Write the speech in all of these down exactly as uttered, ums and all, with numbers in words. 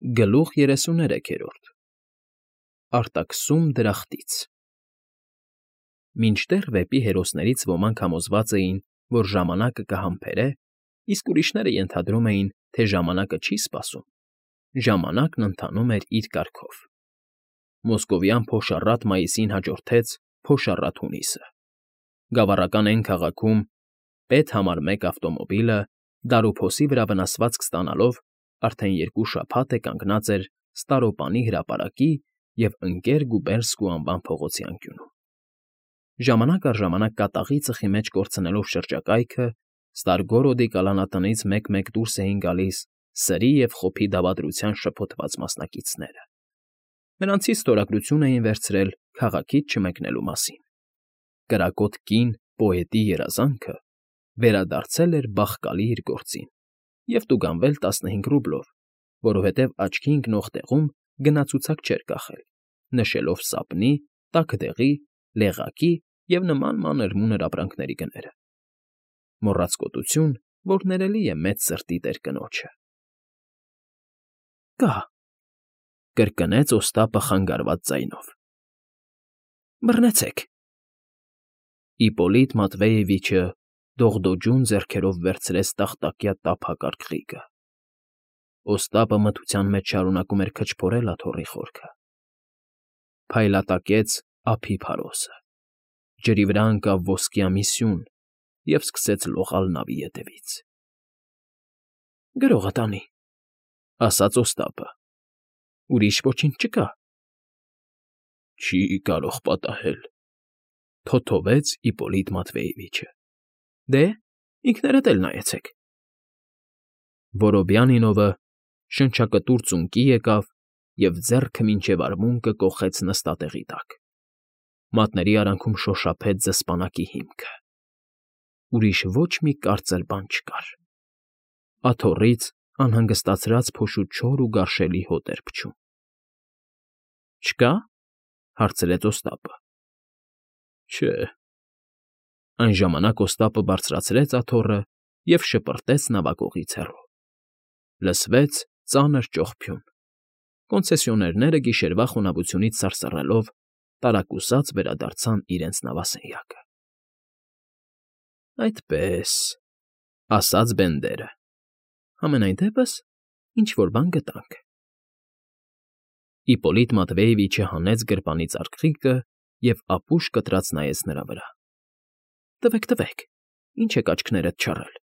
Գլուխ երեսուներեքերորդ Արտաքսում դրախտից Մինչդեռ վեպի հերոսներից ոմանք համոզված էին, որ ժամանակը կհամբերե, իսկ ուրիշները ենթադրում էին, թե ժամանակը չի սպասում, ժամանակն ընթանում էր իր կարգով. մոսկովյան փոշառատ մայիսին հաջորդեց փոշառատ հունիսը, գավառական էն քաղաքում պետ համար մեկ ավտոմոբիլը, դարուփոսի վրա վնասվածք ստանալով, արդեն երկու շաբաթ է կանգնած էր Ստարոպանի հրապարակի և Ընկեր-Գուբերսկու անվան փողոցի անկյունում. ժամանակ առ ժամանակ կատաղի ծխի մեջ կորցնելով շրջակայքը, Ստարգորոդի կալանատնից մեկ֊մեկ դուրս էին գալիս սրի և խոփի դավադրության շփոթված մասնակիցները. նրանցից ստորագրություն էին վերցրել քաղաքից չմեկնելու մասին. կրակոտ կին պոետի երազանքը վերադարձել էր բախկալի իր գործին և տուգանվել տասնհինգ ռուբլով, որովհետև աչքի ընկնող տեղում գնացուցակ չէր կախել, նշելով սապնի, տաք դեղի, լեղակի և նման մանր֊մունր ապրանքների գները. մոռացկոտություն, որ ներելի է մեծ սրտի տեր֊կնոջը։ ֊ Կա,֊ կրկնեց Օստապը խանգարված ձայնով։ ֊ Բռնեցեք… Իպոլիտ Մատվեևիչը դողդոջուն ձեռքերով վերցրեց տախտակյա տափակ արկղիկը. Օստապը մթության մեջ շարունակում էր քչփորել աթոռի խորքը. փայլատակեց ափի փարոսը, ջրի վրա ընկավ ոսկյա մի սյուն և սկսեց լողալ նավի ետևից։ ֊ Գրողը տանի,֊ ասաց Օստապը,֊ ուրիշ ոչինչ չկա։ ֊ Չի կարող պատահել,֊ թոթովեց Իպոլիտ Մատվեևիչը։ ֊ Դե, ինքներդ էլ նայեցեք… Որոբյանինովը շնչակտուր ծունկի եկավ և ձեռքը մինչև արմունկը կոխեց նստատեղի տակ. մատների արանքում շոշափեց զսպանակի հիմքը… Ուրիշ ոչ մի կարծր բան չկար… Աթոռից անհանգստացած փոշու չոր ու գարշելի հոտ էր փչում։ ֊ Չկա՞, հարցրեց Օստապը։ ֊ Չէ… Այն ժամանակ Օստապը բարձրացրեց աթոռը և շպրտեց նավակողից հեռու… Լսվեց ծանր ճողփյուն… Կոնցեսիոներները գիշերվա խոնավությունից սարսռելով տարակուսած վերադարձան իրենց նավասենյակը։ ֊ Այդպե՜ս,֊ ասաց Բենդերը,֊ համենայն դեպս ինչ֊որ բան գտանք… Իպոլիտ Մատվեևիչը հանեց գրպանից արկղիկը և ապուշ կտրած նայեց նրա վրա։ ֊ Տվեք, տվեք, ինչ եք աչքներդ չառել…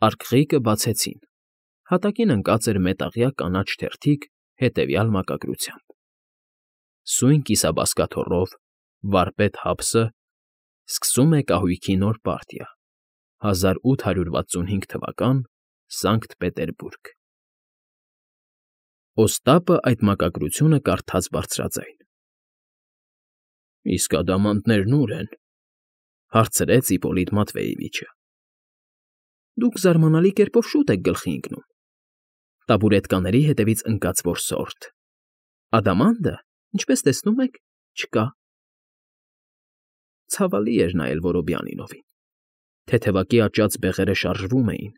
Արկղիկը բացեցին. հատակին ընկած էր մետաղյա կանաչ թերթիկ հետևյալ մակագրությամբ. Սույն կիսաբազկաթոռով, վարպետ հապսը, սկսում է կահույքի նոր պարտիա, հազար ութ հարյուր վաթսունհինգ թվական, Սանկտ Պետերբուրգ… Օստապը այդ մակագրությունը կարդաց բարձրաձայն։ ֊ Իսկ ադամանդներն ո՞ւր են,֊ հարցրեց Իպոլիտ Մատվեևիչը։ ֊ Դուք զարմանալի կերպով շուտ եք գլխի ընկնում… Տաբուրետկաների հետևից ընկած որսորդ… Ադամանդը, ինչպես տեսնում եք, չկա… Ցավալի էր նայել Որոբյանինովին… Թեթևակի աճած բեղերը շարժվում էին,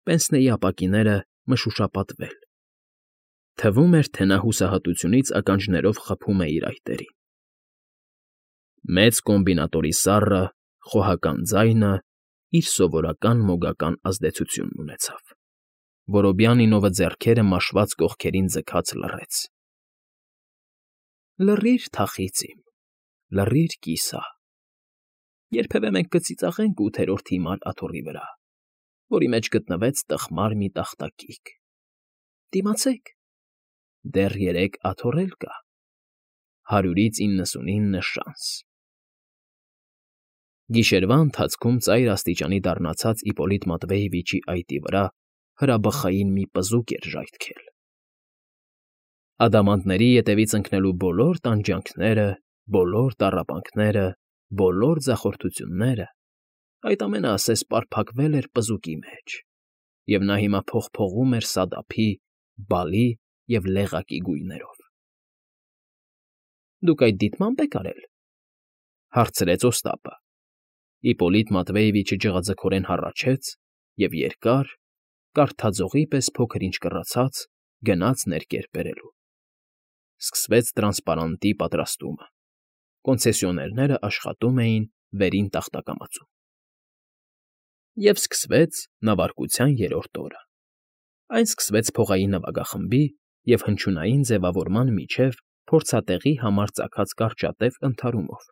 պենսնեի ապակիները մշուշապատվել… Թվում էր, թե նա հուսահատությունից ականջներով խփում է իր այտերին… Մեծ կոմբինատորի սառը, խոհական ձայնը իր սովորական մոգական ազդեցությունն ունեցավ… Որոբյանինովը ձեռքերը մաշված կողքերին ձգած լռեց։ ֊ Լռիր, թախիծ իմ, լռիր, կիսա… Երբևէ մենք կծիծաղենք ութերորդ հիմար աթոռի վրա, որի մեջ գտնվեց տխմար մի տախտակիկ… Դիմացեք, դեռ երեք աթոռ էլ կա… հարյուրից իննսունինը շանս… Գիշերվա ընթացքում ծայր աստիճանի դառնացած Իպոլիտ Մատվեևիչի այտի վրա հրաբխային մի պզուկ էր ժայթքել… Ադամանդների ետևից ընկնելու բոլոր տանջանքները, բոլոր տառապանքները, բոլոր ձախորդությունները, այդ ամենը ասես պարփակվել էր պզուկի մեջ, և նա հիմա փողփողում էր սադափի, բալի և լեղակի գույներով։ ֊ Դուք այդ դիտմամբ եք արել,֊ հարցրեց Օստապը։ Իպոլիտ Մատվեևիչը ջղաձգորեն հառաչեց և երկար, կարթաձողի պես փոքր֊ինչ կռացած, գնաց ներկեր բերելու։ Սկսվեց տրանսպարանտի պատրաստումը։ Կոնցեսիոներները աշխատում էին վերին տախտակամածում։ Եվ սկսվեց նավարկության երրորդ օրը։ Այն սկսվեց փողային նվագախմբի և հնչյունային ձևավորման միջև փորձատեղի համար ծագած կարճատև ընդհարումով։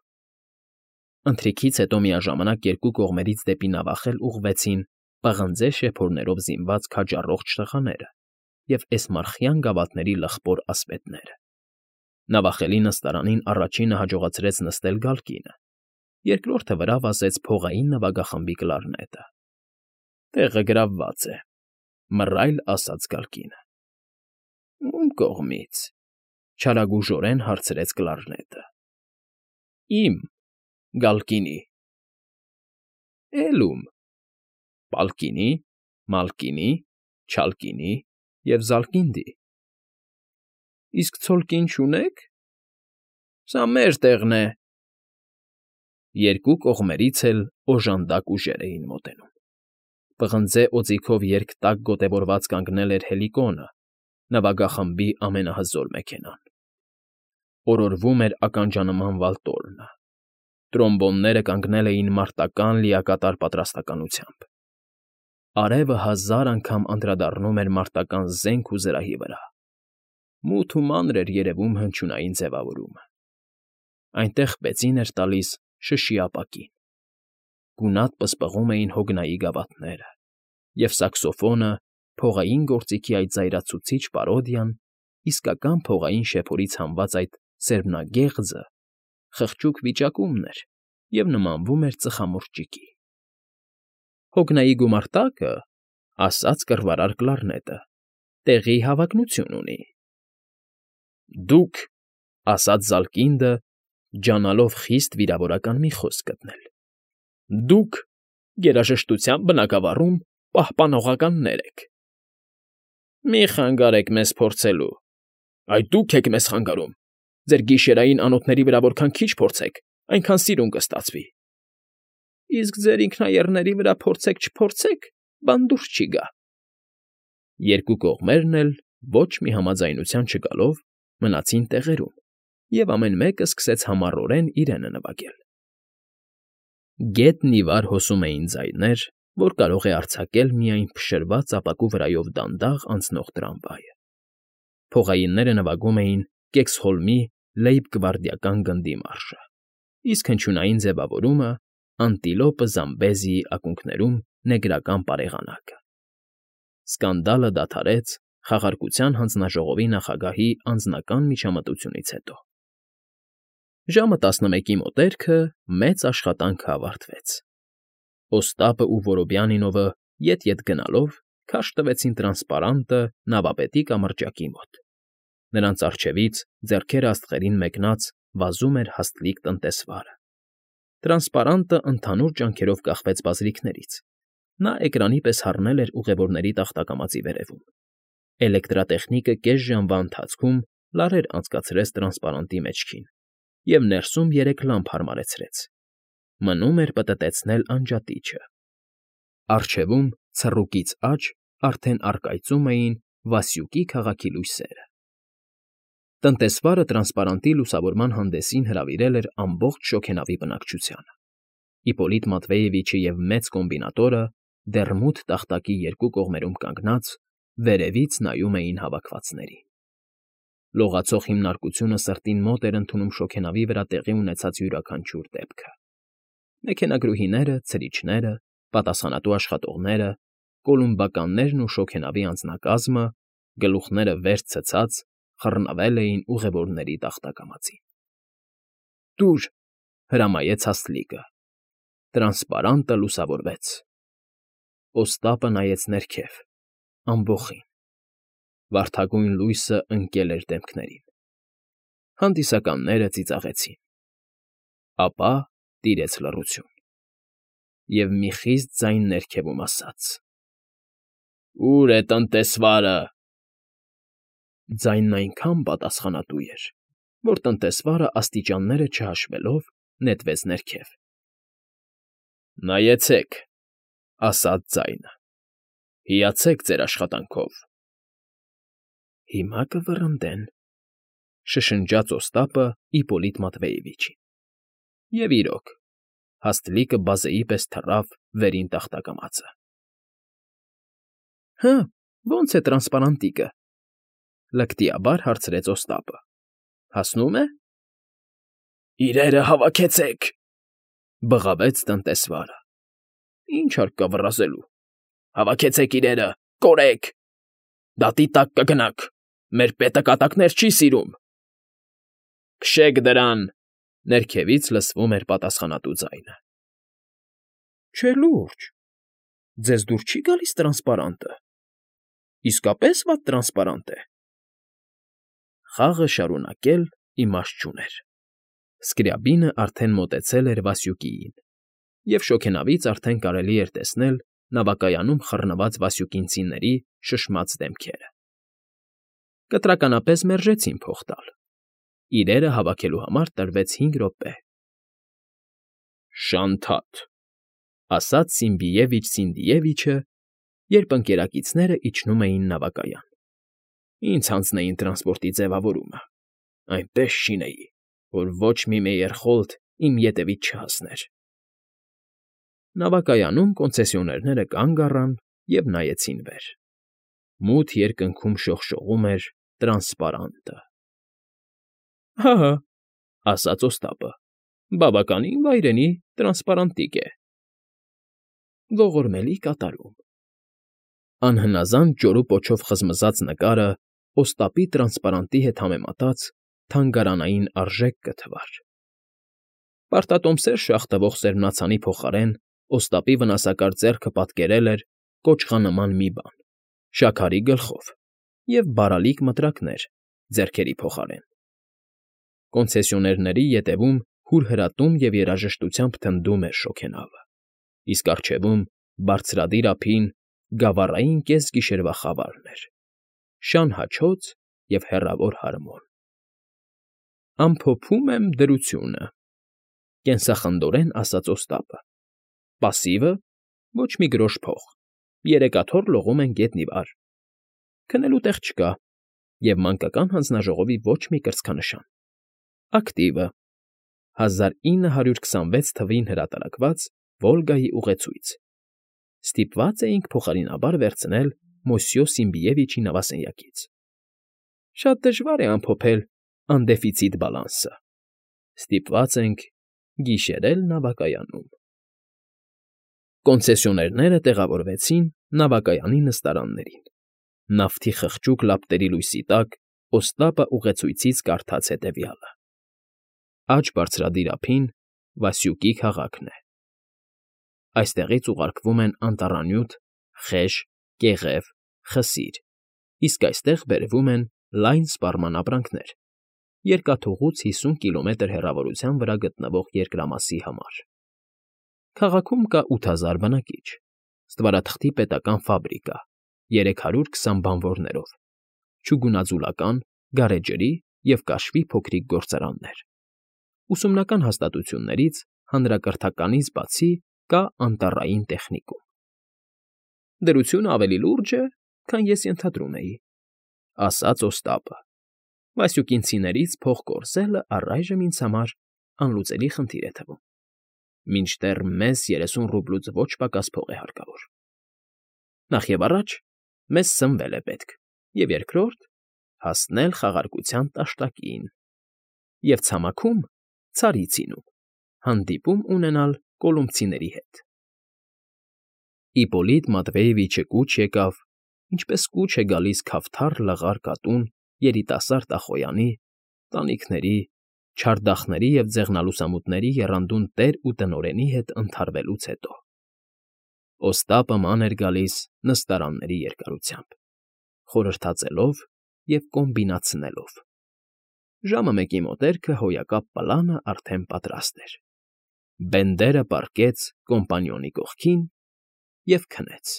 Ընթրիքից հետո միաժամանակ երկու կողմերից դեպի նավախել ուղղվեցին պղնձե շեփորներով զինված քաջառողջ տղաները և էսմարխյան գավաթների լխպոր ասպետները։ Նավախելի նստարանին առաջինը հաջողացրեց նստել Գալկինը, երկրորդը վրա վազեց փողային նվագախմբի կլարնետը։ ֊ Տեղը գրավված է,֊ մռայլ ասաց Գալկինը։ ֊ Ո՞ւմ կողմից,֊ չարագուժորեն հարցրեց կլարնետը։ ֊ Իմ, Գալկինի։ ֊ Էլ ո՞ւմ,֊ Պալկինի, Մալկինի, Չալկինի և Զալկինդի։ ֊ Իսկ ցոլկին չունե՞ք։ ֊ Սա մեր տեղն է։ Երկու կողմերից էլ օժանդակ ուժեր էին մոտենում։ Պղնձե օձիքով երկտակ գոտևորված կանգնել էր Հելիկոնը, նվագախմբի ամենահզոր մեքենան։ Օրորվում էր ականջանման վալտորնը։ Տրոմբոնները կանգնել էին մարտական լիակատար պատրաստակամությամբ։ Արևը հազար անգամ անդրադառնում էր մարտական զենք ու զրահի վրա։ Մութ ու մանր էր երևում հնչյունային ձևավորումը։ Այնտեղ բեցին էր տալիս շշի ապակին։ Գունատ պսպղում էին հոգնայի գավաթները, և սաքսոֆոնը, փողային գործիքի այդ զայրացուցիչ պարոդիան, իսկական փողային շեփորից հանված այդ սերմնագեղձը, խղճուկ վիճակումն էր և նմանվում էր ծխամորճիկի։ ֊ Հոգնայի գումարտակը,֊ ասաց կռվարար կլարնետը,֊ տեղի հավակնություն ունի։ ֊ Դուք,֊ ասաց Զալկինդը, ջանալով խիստ վիրավորական մի խոսք գտնել,֊ դուք գերաժշտության բնագավառում պահպանողականներ եք։ ֊ Մի՛ խանգարեք մեզ փորձելու։ ֊ Այ դուք եք մեզ խանգարում։ Ձեր գիշերային անոթների վրա որքան քիչ փորձեք, այնքան սիրուն կստացվի։ ֊ Իսկ ձեր ինքնաեռների վրա փորձեք֊չփորձեք, բան դուրս չի գա։ Երկու կողմերն էլ, ոչ մի համաձայնության չգալով, մնացին տեղերում, և ամեն մեկը սկսեց համառորեն իրենը նվագել։ Գետն ի վար հոսում էին ձայներ, որ կարող է արձակել միայն փշրված ապակու վրայով դանդաղ անցնող տրամվայը։ Փողայինները նվագում էին Կեքսհոլմի լեյբ֊գվարդիական գնդի մարշը, իսկ հնչյունային ձևավորումը՝ Անտիլոպը Զամբեզիի ակունքներում նեգրական պարեղանակը։ Սկանդալը դադարեց Խաղարկության հանձնաժողովի նախագահի անձնական միջամտությունից հետո։ Ժամը տասնմեկի մոտերքը մեծ աշխատանքը ավարտվեց։ Օստապն ու Որոբյանինովը ետ֊ետ գնալով քարշ տվեցին տրանսպարանտը նավապետի կամրջակի մոտ։ Նրանց առջևից, ձեռքերը աստղերին մեկնած, վազում էր հաստլիկ տնտեսվարը։ Տրանսպարանտը ընդհանուր ջանքերով կախվեց բազրիքներից։ Նա էկրանի պես հառնել էր ուղևորների տախտակամածի վերևում։ Էլեկտրատեխնիկը կես ժամվա ընթացքում լարեր անցկացրեց տրանսպարանտի մեջքին և ներսում երեք լամպ հարմարեցրեց։ Մնում էր պտտեցնել անջատիչը։ Առջևում, ցռուկից աջ, արդեն առկայծում էին Վասյուկի քաղաքի լույսերը։ Տնտեսվարը տրանսպարանտի լուսավորման հանդեսին հրավիրել էր ամբողջ շոգենավի բնակչությանը։ Իպոլիտ Մատվեևիչը և մեծ կոմբինատորը, դեռ մութ տախտակի երկու կողմերում կանգնած, վերևից նայում էին հավաքվածներին։ Լողացող հիմնարկությունը սրտին մոտ էր ընդունում շոգենավի վրա տեղի ունեցած յուրաքանչյուր դեպքը։ Մեքենագրուհիները, ցրիչները, պատասխանատու աշխատողները, կոլումբականներն ու շոգենավի անձնակազմը, գլուխները վեր ցցած, խռնվել էին ուղևորների տախտակամածին։ ֊ Տուր,֊ հրամայեց Հաստլիկը։ Տրանսպարանտը լուսավորվեց։ Օստապը նայեց ներքև, ամբոխին։ Վարդագույն լույսը ընկել էր դեմքներին։ Հանդիսականները ծիծաղեցին։ Ապա տիրեց լռություն, և մի խիստ ձայն ներքևում ասաց. «Ո՞ւր է տնտեսվարը»։ Ձայնն այնքան պատասխանատու էր, որ տնտեսվարը, աստիճանները չհաշվելով, նետվեց ներքև։ «Նայեցեք,֊ ասաց ձայնը,֊ հիացեք ձեր աշխատանքով»։ Հիմա կվռնդեն,֊ շշնջաց Օստապը Իպոլիտ Մատվեևիչին։ Եվ իրոք, հաստլիկը բազեի պես թռավ վերին տախտակամածը։ ֊ Հը, ո՞նց է տրանսպարանտիկը,֊ լկտիաբար հարցրեց Օստապը։ Հասնո՞ւմ է։ ֊ Իրերը հավաքեցեք,֊ բղավեց տնտեսվարը։ ֊ Ինչ հարկ կա վռազելու։ Հավաքեցեք իրերը, կորեք… Դատի տակ կգնաք, մեր պետը կատակներ չի սիրում։ ֊ Քշեք դրան,֊ ներքևից լսվում էր պատասխանատու ձայնը։ ֊ Չէ լուրջ, ձեզ դուր չի՞ գալիս տրանսպարանտը, իսկապես վատ տրանսպարանտ է։ Խաղը շարունակել իմաստ չուներ։ Սկրյաբինը արդեն մոտեցել էր Վասյուկիին, և շոգենավից արդեն կարելի էր տեսնել նավակայանում խռնված վասյուկինցիների շշմած դեմքերը։ Կտրականապես մերժեցին փող տալ։ Իրերը հավաքելու համար տրվեց հինգ րոպե։ ֊ Շանթաթ,֊ ասաց Սիմբիևիչ Սինդիևիչը, երբ ընկերակիցները իջնում էին նավակայան։ Ինձ հանձնեին տրանսպորտի ձևավորումը, այնպես շինեի, որ ոչ մի Մեյերխոլդ իմ ետևից չհասներ։ Նավակայանում կոնցեսիոներները կանգ առան և նայեցին վեր։ Մութ երկնքում շողշողում էր տրանսպարանտը։ ֊ Հա՛֊հա՛, ասաց Օստապը,֊ բավականին վայրենի տրանսպարանտիկ է։ Ողորմելի կատարում… Անհնազանդ ջորու պոչով խզմզած նկարը Օստապի տրանսպարանտի հետ համեմատած թանգարանային արժեք կթվար։ Պարտատոմսեր շաղ տվող սերմնացանի փոխարեն Օստապի վնասակար ձեռքը պատկերել էր կոճղանման մի բան՝ շաքարի գլխով և բարալիկ մտրակներ ձեռքերի փոխարեն։ Կոնցեսիոներների ետևում հուրհրատում և երաժշտությամբ թնդում էր շոգենավը, իսկ առջևում, բարձրադիր ափին, գավառային կեսգիշերվա խավարն էր՝ շան հաչոց և հեռավոր հարմոն։ Ամփոփում եմ դրությունը,֊ կենսախնդորեն ասաց Օստապը։ Պասիվը՝ ոչ մի գրոշ փող, երեք աթոռ լողում են գետնի վար, քնելու տեղ չկա և մանկական հանձնաժողովի ոչ մի կրծքանշան։ Ակտիվը՝ հազար ինը հարյուր քսանվեց թվին հրատարակված Վոլգայի ուղեցույց։ Ստիպված էինք փոխարինաբար վերցնել Մոսյո Սիմբիևիչի նավասենյակից։ Շատ դժվար է ամփոփել անդեֆիցիտ բալանսը։ Ստիպված ենք գիշերել նավակայանում։ Կոնցեսիոներները տեղավորվեցին նավակայանի նստարաններին։ Նավթի խղճուկ լապտերի լույսի տակ Օստապը ուղեցույցից կարդաց հետևյալը. Աջ բարձրադիր ափին Վասյուկի քաղաքն է։ Այստեղից ուղարկվում են անտառանյութ, խեժ, կեղև, խսիր, իսկ այստեղ բերվում են լայն սպառման ապրանքներ՝ երկաթուղուց հիսուն կիլոմետր հեռավորության վրա գտնվող երկրամասի համար։ Քաղաքում կա ութ հազար բնակիչ, ստվարաթղթի պետական ֆաբրիկա երեք հարյուր քսան բանվորներով, չուգունաձուլական, գարեջրի և կաշվի փոքրիկ գործարաններ։ Ուսումնական հաստատություններից հանրակրթականից բացի կա անտառային տեխնիկում։ Դրությունը ավելի լուրջ է, քան ես ենթադրում էի,֊ ասաց Օստապը։ Վասյուկինցիներից փող կորզելը առայժմ ինձ համար անլուծելի խնդիր է թվում։ Մինչդեռ մեզ երեսուն ռուբլուց ոչ պակաս փող է հարկավոր։ Նախևառաջ մեզ սնվել է պետք, և երկրորդ՝ հասնել խաղարկության տաշտակին, և ցամաքում ցարի ցինում, հանդիպում ունենալ կոլումբցիների հետ։ Իպոլիտ Մատվեևիչը կուչ եկավ, ինչպես կուչ է գալիս քավթառ լղար կատուն երիտասարդ ախոյանի, տանիքների, չարդախների և ձեղնալուսամուտների եռանդուն տեր ու տնօրենի հետ ընդհարվելուց հետո։ Օստապը ման էր գալիս նստարանների երկարությամբ, խորհրդածելով և կոմբինացնելով։ Ժամը մեկի մոտերքը հոյակապ պլանը արդեն պատրաստ էր։ Բենդերը պառկեց կոմպանիոնի կողքին և քնեց։